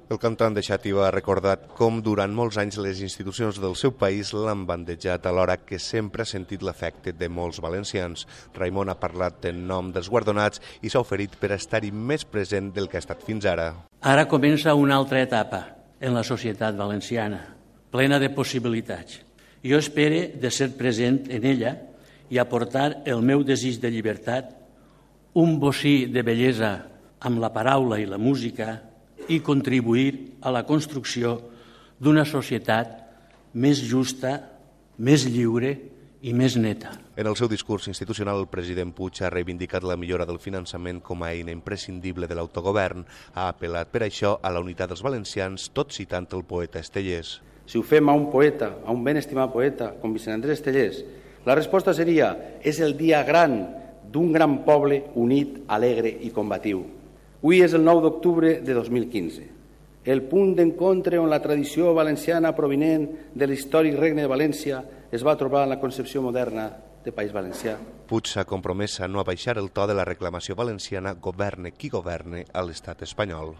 El cantant de Xàtiva ha recordat com durant molts anys les institucions del seu país l'han bandejat alhora que sempre ha sentit l'afecte de molts valencians. Raimon ha parlat en nom dels guardonats i s'ha oferit per estar-hi més present del que ha estat fins ara. Ara comença una altra etapa en la societat valenciana, plena de possibilitats. Jo espero de ser present en ella i aportar el meu desig de llibertat, un bocí de bellesa amb la paraula i la música i contribuir a la construcció d'una societat més justa, més lliure i més neta. En el seu discurs institucional, el president Puig ha reivindicat la millora del finançament com a eina imprescindible de l'autogovern. Ha apel·lat per això a la unitat dels valencians, tot citant el poeta Estellés. Si ho fem a un poeta, a un ben estimat poeta com Vicent Andrés Estellés, la resposta seria: és el dia gran d'un gran poble unit, alegre i combatiu. Avui és el 9 d'octubre de 2015, el punt d'encontre on la tradició valenciana provinent de l'històric Regne de València es va trobar en la concepció moderna de País Valencià. Puig s'ha compromès a no abaixar el to de la reclamació valenciana, governe qui governe a l'estat espanyol.